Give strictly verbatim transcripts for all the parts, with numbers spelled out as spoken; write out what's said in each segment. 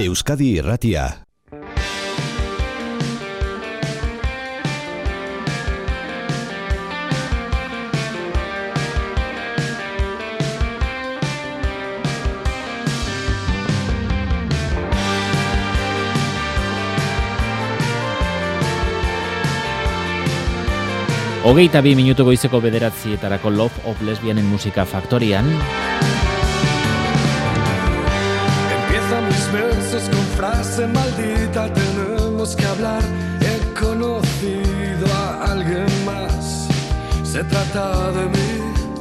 Euskadi Irratia. Hogeita bi minutu goizeko bederatzietarako Love of Lesbianen musika faktorian. Empiezan mis versos con frase maldita, tenemos que hablar, he conocido a alguien más, se trata de mí.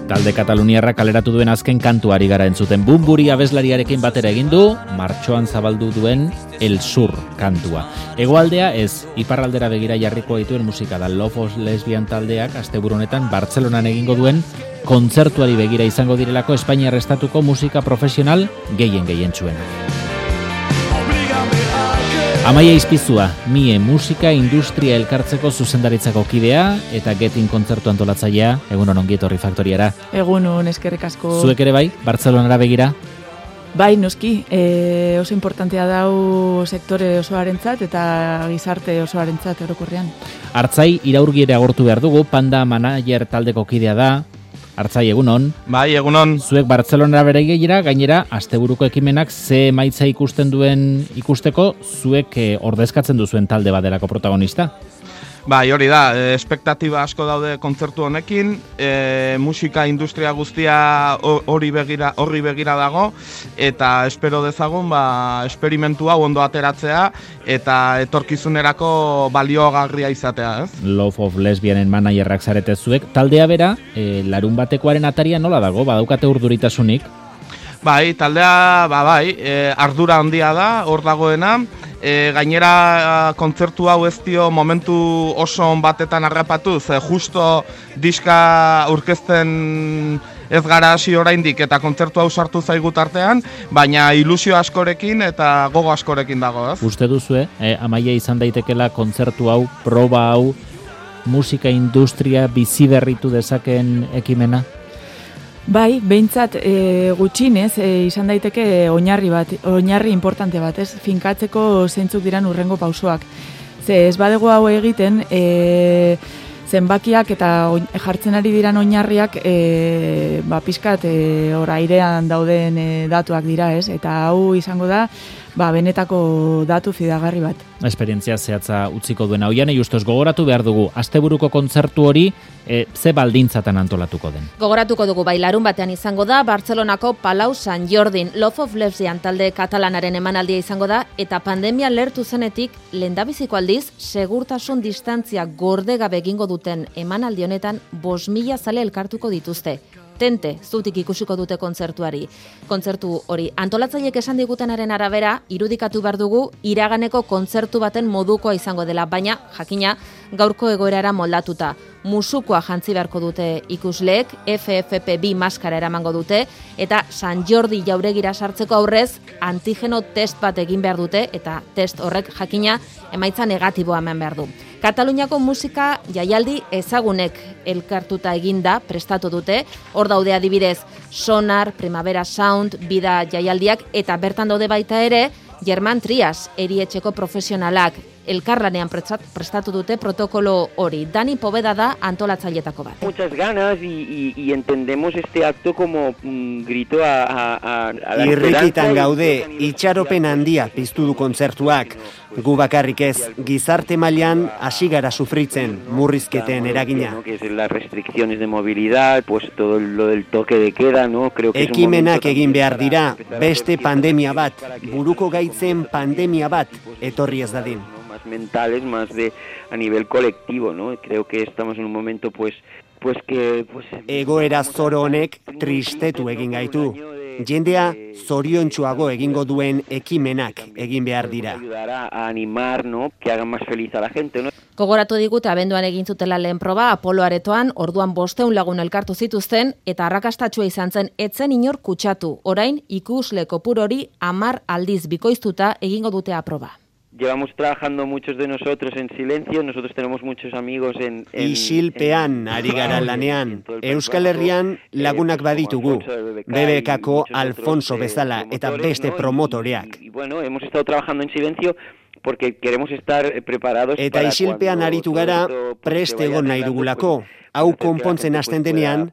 Talde kataluniarra kaleratu duen azken kantuari gara entzuten. Bumburi abeslariarekin batera egin du, martxoan zabaldu duen El Sur kantua. Hegoaldea ez, iparraldera begira jarriko dituen musika da. Love of Lesbian taldeak asteburu honetan Bartzelonan egingo duen kontzertuari begira izango direlako Espainiar estatuko musika profesional gehien gehien txuena. Amaia Izpizua, Mie musika industria elkartzeko zuzendaritzako kidea eta Getin kontzertu antolatzailea. Egunon ongi etorri faktoriara. Egunon, eskerrik asko. Zuek ere bai, Bartzelonara begira? Bai, noski, e, oso importantea dau sektore osoarentzat eta gizarte osoarentzat orokorrean. Artzai iraurgiere agortu behar dugu, Panda Manager taldeko kidea da. Artzai, egunon. Bai, egunon. Zuek Bartzelonara beregira, gainera, asteburuko ekimenak ze emaitza ikusten duen ikusteko, zuek eh, ordezkatzen duzuen talde badelako protagonista. Bai, hori da, e, espektatiba asko daude kontzertu honekin, e, musika industria guztia hori begira, horri begira dago, eta espero dezagun, ba, esperimentu hau ondo ateratzea, eta etorkizunerako baliogarria izatea, ez? Love of Lesbianen managerrak zarete zuek. Taldea bera, e, larun batekoaren ataria nola dago, badaukate urduritasunik? Bai, taldea, ba, bai, e, ardura handia da, hor dagoena, e, gainera kontzertu hau ez dio momentu oso on batetan harrapatuz, e, justo diska aurkezten ez gara hasi oraindik eta kontzertu hau sartu zaigu tartean, baina ilusio askorekin eta gogo askorekin dago, ez? Uste duzue, e, Amaia izan daitekela kontzertu hau, proba hau, musika industria bizi berritu dezaken ekimena? Bai, behintzat e, gutxinez e, izan daiteke oinarri bat, oinarri importante bat, ez? Finkatzeko zeintzuk diran urrengo pausoak. Ze ez badego hau egiten, e, zenbakiak eta oin, jartzen ari diran oinarriak e, ba, pizkat e, hor airean dauden e, datuak dira, ez? Eta hau izango da, ba, benetako datu fidagarri bat. Esperientzia zehatza utziko duena. Oianei ustez gogoratu behar dugu, asteburuko kontzertu hori e, ze baldintzatan antolatuko den. Gogoratuko dugu bai, larun batean izango da, Bartzelonako Palau San Jordin Love of Lesbian talde katalanaren emanaldia izango da, eta pandemia lertu zenetik, lehendabiziko aldiz, segurtasun distantzia gordegabe egingo duten emanaldi honetan bost mila zale elkartuko dituzte. Tente, zutik ikusiko dute kontzertuari. Kontzertu hori antolatzaileek esan digutenaren arabera, irudikatu behar dugu iraganeko kontzertu baten modukoa izango dela, baina, jakina, gaurko egoerara moldatuta. Musukoa jantzi beharko dute ikusleek, F F P bi maskara eramango dute, eta San Jordi jauregira sartzeko aurrez, antigeno test bat egin behar dute, eta test horrek jakina emaitza negatiboa eman behar du. Kataluniako musika jaialdi ezagunek elkartuta eginda prestatu dute, hor daude adibidez Sonar, Primavera Sound, Bida jaialdiak, eta bertan daude baita ere, German Trias, erietxeko profesionalak, elkarlanean prestatu dute protokolo hori. Dani Poveda da antolatzailetako bat. Muchas ganas y, y, y entendemos este acto como un grito a, a, a la Irrikitan gaude, itxaropen handia piztu du kontzertuak. Gu bakarrik ez, gizarte mailan hasi gara sufritzen, murrizketen eragina. ¿no? Que es las restricciones de movilidad, pues todo lo del toque de queda, ¿no? Creo que Ekimenak egin behar dira, beste pandemia bat, buruko gaitzen pandemia bat, etorri ez dadin. Más mentales, más de a nivel colectivo, ¿no? Creo que estamos en un momento pues pues que pues egoera zoro honek tristetu egin gaitu. Jendea zoriontsuago egingo duen ekimenak egin behar dira. Ayudará a animar, ¿no? Que haga más feliz a la gente, ¿no? Gogoratu digute abenduan egin zutela lehen proba Apolo Aretoan, orduan bosteun lagun elkartu zituzten eta arrakastatsua izan zen etzen inor kutsatu. Orain ikusle kopuru hori hamar aldiz bikoiztuta egingo dute aproba. llevamos trabajando muchos de nosotros en silencio, nosotros tenemos muchos amigos en... en Isilpean ari gara lanean, Euskal Herrian lagunak baditugu, B B Kako Alfonso bezala eta beste promotoreak. Y bueno, hemos estado trabajando en silencio porque queremos estar preparados eta para isilpean aritu gara prest egon nahi dugulako, hau konpontzen hasten denean,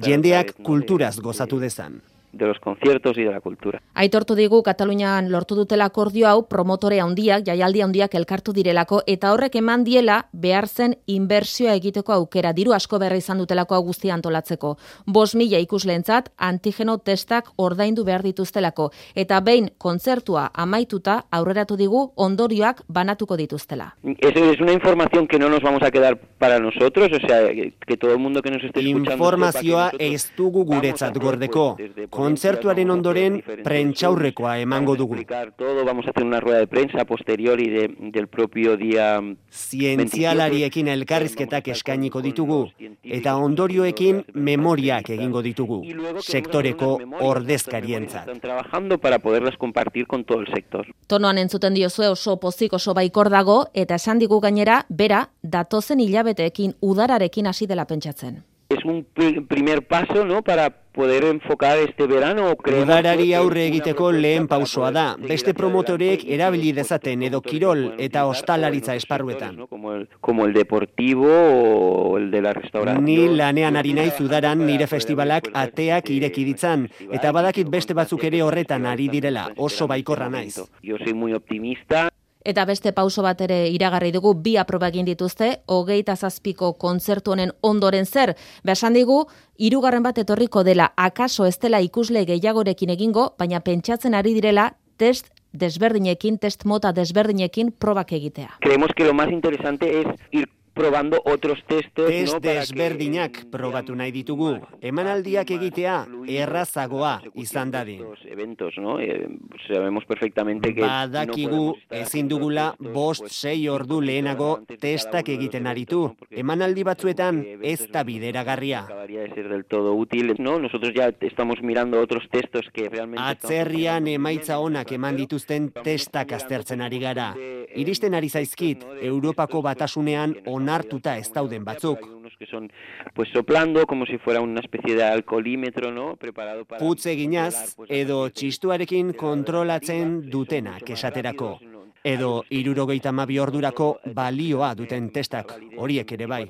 jendeak kulturaz gozatu dezan. De los conciertos y de la cultura. Aitortu digu Katalunian lortu dutela akordio hau promotore handiak, jaialdi handiak elkartu direlako eta horrek eman diela behar zen inbertsioa egiteko aukera, diru asko berri izan dutelako hau guztia antolatzeko. Bost mila ikusleentzat antigeno testak ordaindu behar dituztelako eta behin kontzertua amaituta aurreratu digu ondorioak banatuko dituztela. Eso es una información que no nos vamos a quedar para nosotros, o sea, que todo el mundo que nos esté escuchando... Informazioa ez dugu guretzat gordeko. Kontzertuaren ondoren prentsaurrekoa emango dugu. Todo, vamos a hacer una rueda de prensa posterior y de, del propio día... Zientzialariekin elkarrizketak eskainiko ditugu, eta ondorioekin memoriak egingo ditugu, sektoreko ordezkarientzat. Están trabajando para poderlas compartir con todo el sector. Tonoan entzuten diozue oso pozik oso baikor dago, eta esan digu gainera, bera, datozen hilabeteekin udararekin hasi dela pentsatzen. Es un primer paso, ¿no?, para poder enfocar este verano. Udarari aurre egiteko lehen pausoa da. Beste promotorek erabili dezaten edo kirol eta ostalaritza esparruetan. Como el, como el deportivo o el de la restauración. Ni lanean ari naiz udaran nire festivalak ateak ireki ditzan, eta badakit beste batzuk ere horretan ari direla, oso baikorra naiz. Yo soy muy optimista. Eta beste pauso bat ere iragarri dugu, bi aproba egin dituzte, hogeita zazpiko kontzertu honen ondoren zer. Besan digu, hirugarren bat etorriko dela, akaso ez dela ikusle gehiagorekin egingo, baina pentsatzen ari direla test desberdinekin, test mota desberdinekin probak egitea. Creemos que lo más interesante es ir probando otros testos, test ¿no? desberdinak que, probatu nahi ditugu. Emanaldiak egitea errazagoa izan dadin. Eventos, ¿no? Eh, sabemos perfectamente que badakigu ezin dugula bost sei ordu lehenago testak egiten aritu. Emanaldi batzuetan ez da bideragarria. Acabaría de ser del todo útil, ¿no? Nosotros ya estamos mirando otros testos que realmente atzerrian emaitza onak eman dituzten testak aztertzen ari gara. Iristen ari zaizkit Europako Batasunean onartuta ez dauden batzuk. Que son pues soplando como si fuera una especie de alcoholímetro, ¿no? Preparado para putz eginaz edo txistuarekin kontrolatzen dutenak esaterako. Edo hirurogeita hamabi ordurako balioa duten testak, horiek ere bai.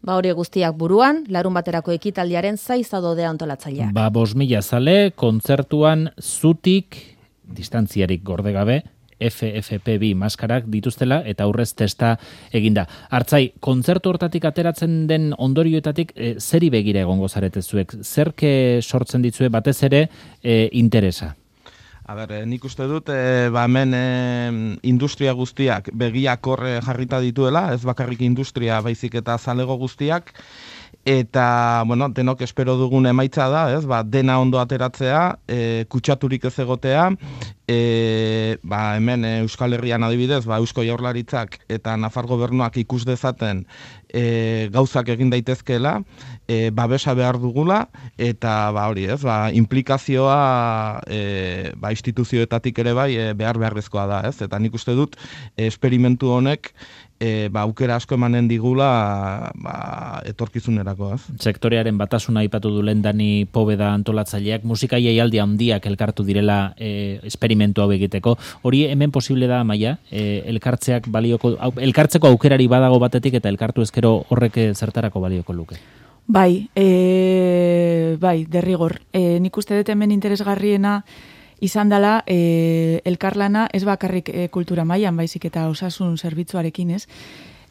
Ba hori guztiak buruan, larun baterako ekitaldiaren zaizadodea antolatzaileak. Ba bost mila zale, kontzertuan zutik, distantziarik gorde gabe, F F P bi maskarak dituztela eta aurrez testa eginda. Hartzai, kontzertu hortatik ateratzen den ondorioetatik e, zeri begira egongo zarete zuek? Zerke sortzen ditzue batez ere e, interesa? A ber, nik uste dut, e, ba hemen e, industria guztiak begiak horre jarrita dituela, ez bakarrik industria baizik eta zalego guztiak, eta, bueno, denok espero dugun emaitza da, ez, ba, dena ondo ateratzea, e, kutsaturik ez egotea, e, ba, hemen e, Euskal Herrian adibidez, ba, Eusko Jaurlaritzak eta Nafar Gobernuak ikus dezaten e, gauzak egin daitezkeela, e, babesa behar dugula, eta, ba, hori ez, ba, implikazioa e, ba, instituzioetatik ere bai e, behar beharrezkoa da, ez, eta nik uste dut, e, esperimentu honek, E, ba, aukera asko emanen digula ba, etorkizunerako, ez? Sektorearen batasuna aipatu du lendani Pobeda antolatzaileak, musika jaialdi handiak elkartu direla e, esperimentu hau egiteko. Hori hemen posible da, Maia? E, elkartzeak balioko, au, elkartzeko aukerari badago batetik eta elkartu ezkero horrek zertarako balioko luke? Bai, e, bai, derrigor. E, nik uste dut hemen interesgarriena izan dela e, elkarlana ez bakarrik e, kultura mailan baizik eta osasun zerbitzuarekin, ez?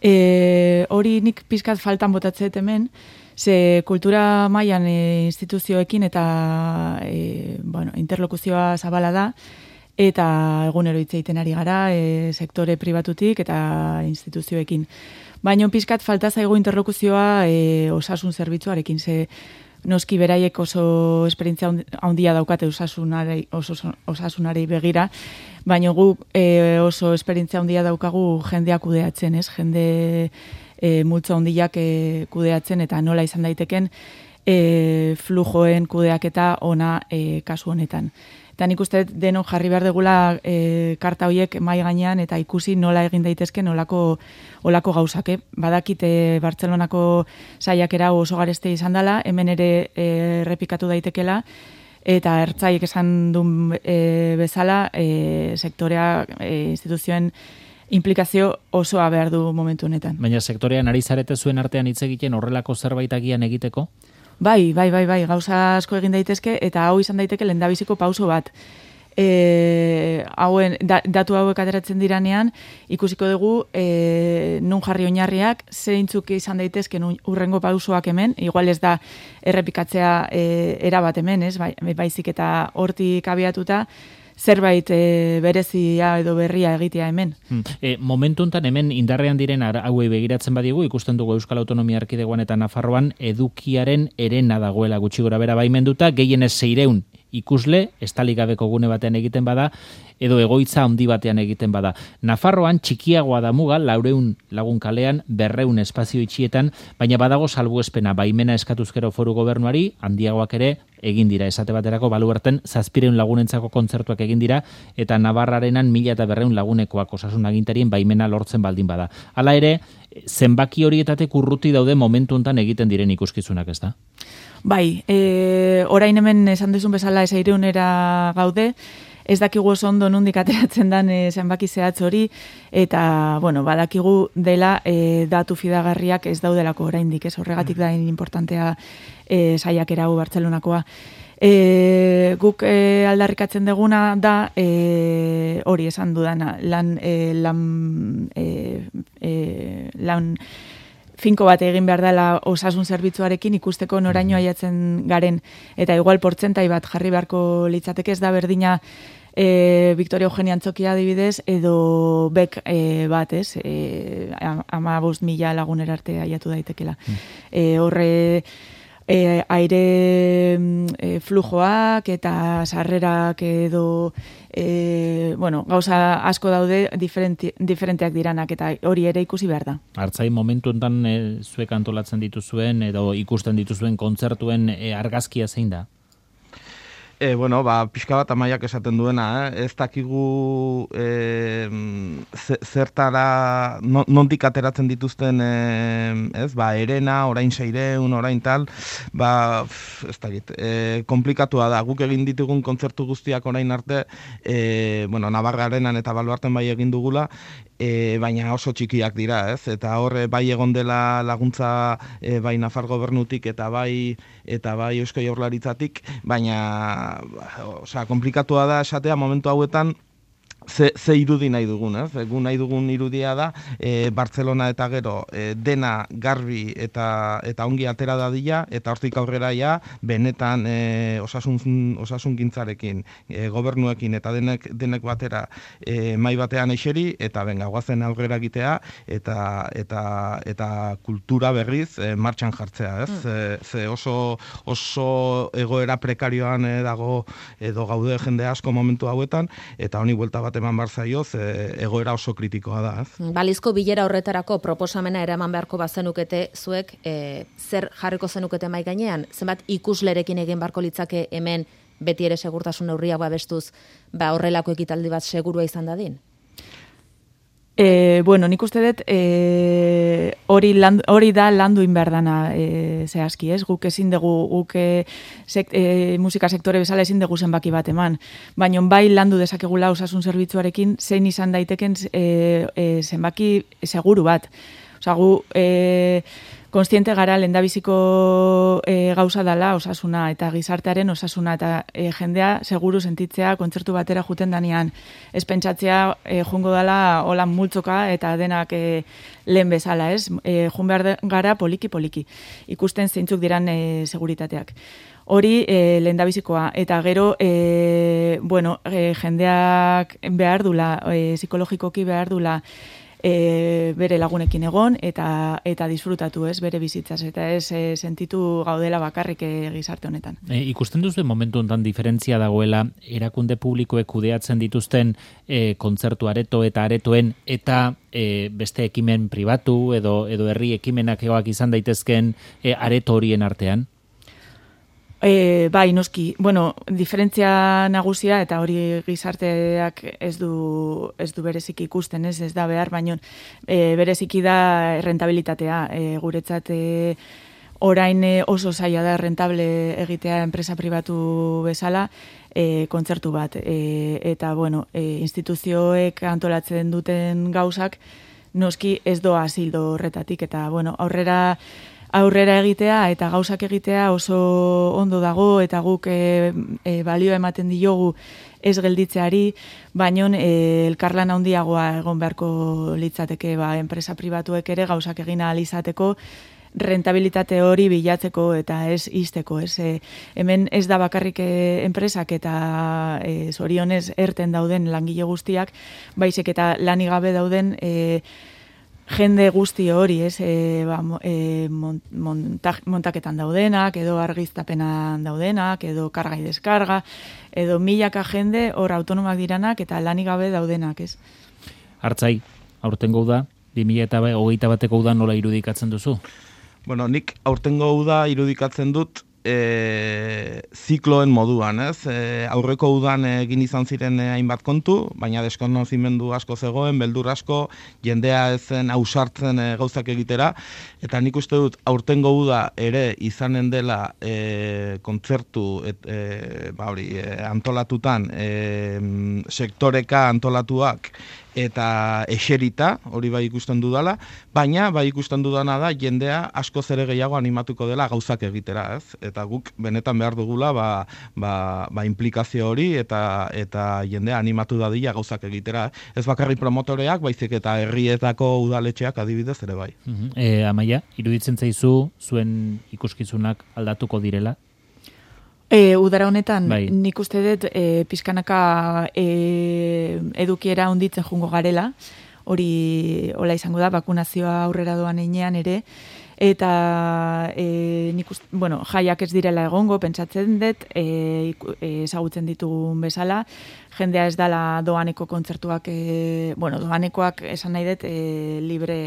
E, hori nik pizkat faltan botatzeet hemen, ze kultura mailan e, instituzioekin eta e, bueno, interlokuzioa zabala da, eta egunero hitz egiten ari gara e, sektore pribatutik eta instituzioekin. Baina pizkat falta zaigu interlokuzioa e, osasun zerbitzuarekin, ze noski beraiek oso esperientzia handia daukate osasunari, oso, osasunari begira, baina gu e, oso esperientzia handia daukagu jendeak kudeatzen, ez? Jende e, multzo handiak e, kudeatzen eta nola izan daiteken e, flujoen kudeaketa ona e, kasu honetan. Eta nik uste denon jarri behar degula e, karta horiek mai gainean eta ikusi nola egin daitezke nolako olako gauzak. Eh? Badakite Bartzelonako saiakera oso gareste izan dela, hemen ere errepikatu daitekela, eta ertzaiek esan duen e, bezala e, sektorea, e, instituzioen implikazio osoa behar du momentu honetan. Baina sektorean ari zarete zuen artean hitz egiten horrelako zerbait agian egiteko? Bai, bai, bai, bai, gauza asko egin daitezke eta hau izan daiteke lehendabiziko pauso bat. E, hauen, da, datu hauek ateratzen diranean, ikusiko dugu e, nun jarri oinarriak, zeintzuk izan daitezke nun urrengo pausoak hemen, igual ez da errepikatzea e, erabat hemen, ez, bai, baizik eta hortik abiatuta, zerbait e, berezia edo berria egitea hemen. Hmm. E, momentu honetan hemen indarrean diren hauei begiratzen badigu, ikusten dugu Euskal Autonomia Erkidegoan eta Nafarroan edukiaren herena dagoela gutxi gora bera baimenduta, gehienez seireun ikusle, estalik gabeko gune batean egiten bada, edo egoitza handi batean egiten bada. Nafarroan txikiagoa da muga, laureun lagun kalean, berreun espazio itxietan, baina badago salbuespena, baimena eskatuzkero foru gobernuari, handiagoak ere egin dira. Esate baterako baluerten zazpireun lagunentzako kontzertuak egin dira, eta Navarrarenan mila eta berreun lagunekoak osasun agintarien baimena lortzen baldin bada. Hala ere, zenbaki horietatek urruti daude momentu honetan egiten diren ikuskizunak, ez da? Bai, e, orain hemen esan duzun bezala eseireunera gaude, ez dakigu oso ondo nondik ateratzen dan e, zenbaki zehatz hori, eta, bueno, badakigu dela e, datu fidagarriak ez daudelako oraindik, ez horregatik da importantea e, saiakera hau Bartzelonakoa. E, guk e, aldarrikatzen deguna da e, hori esan dudana, lan, e, lan, e, e, lan finko bat egin behar dela osasun zerbitzuarekin ikusteko noraino aiatzen garen, eta igual portzentai bat jarri beharko litzateke, ez da berdina e, Victoria Eugenia Antzokia adibidez, edo bek e, bat, ez, e, ama bost mila lagunera arte aiatu daitekela. E, horre e, aire e, flujoak eta sarrerak edo e, bueno, gauza asko daude diferenti, diferenteak diranak eta hori ere ikusi behar da. Artzai momentu enten e, zuek antolatzen dituzuen edo ikusten dituzuen kontzertuen e, argazkia zein da? E, bueno, ba, pixka bat amaiak esaten duena, eh? Ez dakigu e, zertara, nondik ateratzen dituzten, e, ez, ba, erena, orain seireun, orain tal, ba, ez dakit, e, komplikatua da, guk egin ditugun kontzertu guztiak orain arte, e, bueno, Navarrarenan eta Baluarten bai egin dugula, e, baina oso txikiak dira, ez, eta hor bai egon dela laguntza e, bai Nafar gobernutik eta bai eta bai Eusko Jaurlaritzatik, baina osea, komplikatua da esatea momentu hauetan Ze, ze irudi nahi dugun, ez? Gu nahi dugun irudia da, e, Bartzelona eta gero e, dena garbi eta eta ongi atera dadila, eta hortik aurrera ja, benetan e, osasun, osasun gintzarekin, e, gobernuekin eta denek, denek batera e, mai batean eixeri, eta benga, guazen aurrera egitea, eta eta eta kultura berriz e, martxan jartzea, ez? Mm. E, ze oso, oso egoera prekarioan e, dago edo gaude jende asko momentu hauetan, eta honi buelta bat eman behar zaio, ze egoera oso kritikoa da. Ez? Balizko bilera horretarako proposamena eraman beharko bazenukete zuek, e, zer jarriko zenukete mai gainean? Zenbat ikuslerekin egin beharko litzake hemen beti ere segurtasun neurriak babestuz, ba horrelako ekitaldi bat segurua izan dadin? E, bueno, nik uste dut e, hori, land, hori da landu inberdana e, zehazki, ez? Guk ezin dugu, guk e, sek, e, musika sektore bezala ezin dugu zenbaki bat eman. Baina bai landu dezakegula osasun zerbitzuarekin zein izan daiteken e, e, zenbaki seguru bat. Osa, gu e, konstiente gara lehendabiziko e, gauza dela osasuna eta gizartearen osasuna eta e, jendea seguru sentitzea kontzertu batera juten danean. Ez pentsatzea e, jungo dela holan multzoka eta denak e, lehen bezala, ez? E, jun behar gara poliki-poliki. Ikusten zeintzuk diran e, seguritateak. Hori e, lehendabizikoa. Eta gero, e, bueno, e, jendeak behar dula, e, psikologikoki behar dula, E, bere lagunekin egon eta eta disfrutatu, ez, bere bizitzaz, eta ez e, sentitu gaudela bakarrik e, gizarte honetan. E, ikusten duzu momentu honetan diferentzia dagoela erakunde publikoek kudeatzen dituzten e, kontzertu areto eta aretoen eta e, beste ekimen pribatu edo edo herri ekimenak egoak izan daitezken e, areto horien artean? E, bai, noski, bueno, diferentzia nagusia eta hori gizarteak ez du, ez du bereziki ikusten, ez, ez da behar, baino e, bereziki da rentabilitatea. E, guretzat e, orain oso zaila da rentable egitea enpresa pribatu bezala, e, kontzertu bat. E, eta, bueno, e, instituzioek antolatzen duten gauzak, noski ez doa zildo horretatik, eta, bueno, aurrera aurrera egitea eta gauzak egitea oso ondo dago eta guk e, e, balio ematen diogu ez gelditzeari, baino e, elkarlan handiagoa egon beharko litzateke ba, enpresa pribatuek ere gauzak egin ahal izateko rentabilitate hori bilatzeko eta ez izteko. Ez, e, hemen ez da bakarrik e, enpresak eta e, zorionez erten dauden langile guztiak, baizik eta lanik gabe dauden e, jende guzti hori, ez, e, ba, e, monta, montaketan daudenak, edo argiztapenan daudenak, edo karga y deskarga, edo milaka jende hor autonomak diranak eta lanik gabe daudenak, ez. Artzai, aurtengo uda, bi mila hogeita bateko uda nola irudikatzen duzu? Bueno, nik aurtengo uda irudikatzen dut E, zikloen moduan, ez? E, aurreko udan egin izan ziren e, hainbat kontu, baina deskonozimendu asko zegoen, beldur asko, jendea ezen ausartzen e, gauzak egitera, eta nik uste dut aurtengo uda ere izanen dela e, kontzertu et, e, ba hori, e, antolatutan, e, sektoreka antolatuak, eta eserita, hori bai ikusten dudala, baina bai ikusten dudana da jendea asko zere gehiago animatuko dela gauzak egitera, ez? Eta guk benetan behar dugula ba, ba, ba implikazio hori eta eta jendea animatu dadila gauzak egitera. Ez bakarrik promotoreak, baizik eta herrietako udaletxeak adibidez ere bai. Uh-huh. E, Amaia, iruditzen zaizu zuen ikuskizunak aldatuko direla? E, udara honetan, bai. Nik uste dut e, pizkanaka e, edukiera onditzen jungo garela, hori hola izango da, bakunazioa aurrera doan einean ere, eta e, nik uste, bueno, jaiak ez direla egongo, pentsatzen dut, e, ezagutzen ditugun bezala, jendea ez dala doaneko kontzertuak, e, bueno, doanekoak esan nahi dut, e, libre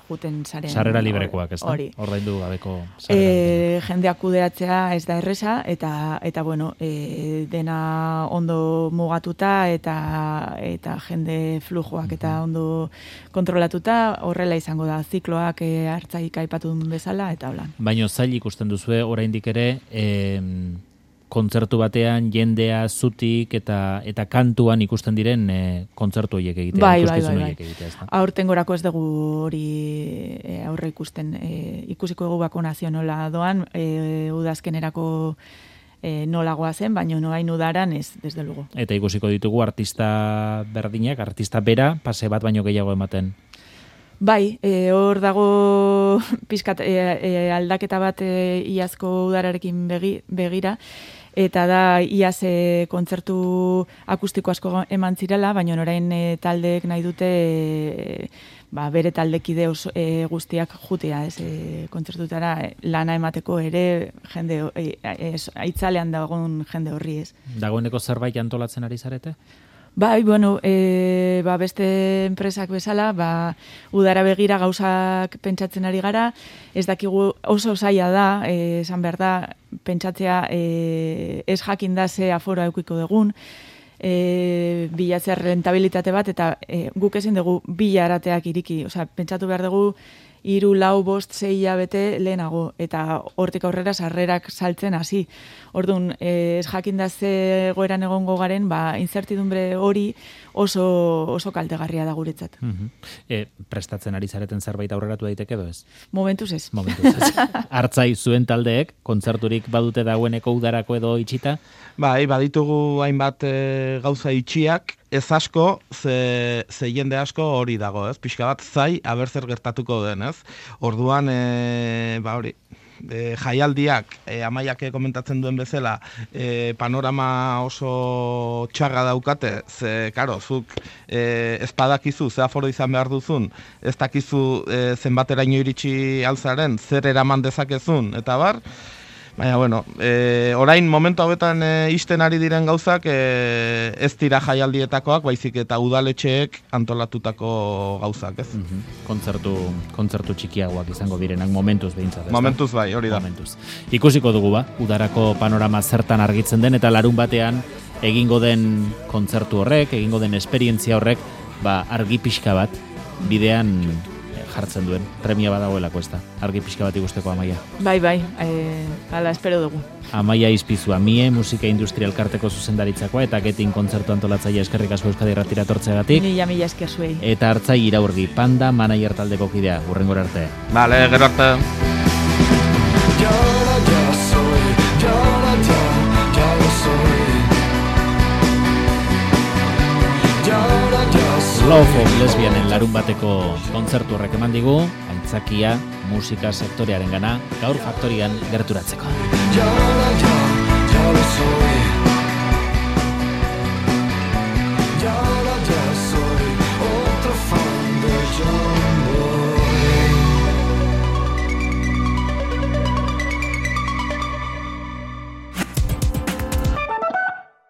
juten zaren. Sarrera librekoak, ez da? Hori. Ordaindu gabeko E, jendeak kudeatzea ez da erresa, eta, eta bueno, e, dena ondo mugatuta, eta, eta jende flujoak eta ondo kontrolatuta, horrela izango da, zikloak e, hartzaik aipatu duen bezala, eta hola. Baina zail ikusten duzue, oraindik ere, em, kontzertu batean jendea zutik eta eta kantuan ikusten diren e, kontzertu horiek egitea, bai, ikuskizun bai, bai, horiek bai. egitea, ez da? Aurtengorako ez dugu hori e, aurre ikusten, e, ikusiko egu bakonazio nola doan, e, udazkenerako e, nolagoa zen, baina noain udaran ez, desde luego. Eta ikusiko ditugu artista berdinak, artista bera, pase bat baino gehiago ematen. Bai, e, hor dago pizkat e, e, aldaketa bat e, iazko udararekin begi, begira, eta da iaz e, kontzertu akustiko asko eman zirela, baina orain e, taldeek nahi dute e, ba, bere taldekide oso, e, guztiak jutea, ez, e, kontzertutara e, lana emateko ere jende e, e, aitzalean dagoen jende horri, ez. Dagoeneko zerbait antolatzen ari zarete? Bai, bueno, e, ba, beste enpresak bezala, ba, udara begira gauzak pentsatzen ari gara, ez dakigu oso zaila da, e, esan behar da, pentsatzea e, ez jakin da ze aforo eukiko dugun, e, bilatzea rentabilitate bat, eta e, guk ezin dugu bilarateak iriki, osea, pentsatu behar dugu, hiru, lau, bost, sei hilabete lehenago, eta hortik aurrera sarrerak saltzen hasi. Orduan, ez jakinda ze goeran egongo garen, ba, incertidumbre hori oso, oso kaltegarria da guretzat. Uh-huh. e, prestatzen ari zareten zerbait aurreratu daiteke edo ez? Momentuz ez. Momentuz ez. Hartzai zuen taldeek, kontzerturik badute dagoeneko udarako edo itxita? Bai, baditugu hainbat e, gauza itxiak, ez asko, ze, ze jende asko hori dago, ez? Pixka bat zai, aber zer gertatuko den, ez? Orduan, e, ba hori, e, jaialdiak, e, Amaiak komentatzen duen bezala, e, panorama oso txarra daukate, ze, karo, zuk e, ez badakizu, ze aforo izan behar duzun, ez dakizu e, zenbateraino iritsi alzaren, zer eraman dezakezun, eta bar, Baina, bueno, e, orain momentu hauetan e, isten ari diren gauzak e, ez dira jaialdietakoak, baizik eta udaletxeek antolatutako gauzak, ez? Mm-hmm. Kontzertu, kontzertu txikiagoak izango direnak momentuz behintzat, ez da? Momentuz bai, hori da. Momentuz. Ikusiko dugu ba, udarako panorama zertan argitzen den, eta larun batean egingo den kontzertu horrek, egingo den esperientzia horrek, ba, argi pixka bat bidean jartzen duen, premia badagoelako ez da, argi pixka bat ikusteko Amaia. Bai, bai, e, ala espero dugu. Amaia Izpizua, Mie Musika Industria Elkarteko zuzendaritzakoa eta Getin kontzertu antolatzaile eskerrik asko Euskadi Irratira etortzeagatik. Mila mila esker zuei. Eta Artzai Iraurgi, Panda manager taldeko kidea, hurrengora arte. Vale, gero arte. Llora, ya soy, llora, ya, ya lo soy. Llora, ya soy. Love of Lesbianen larun bateko kontzertu horrek eman digu, aitzakia musika sektorearen gana, gaur faktorian gerturatzeko. Llora, ya, ya lo soy.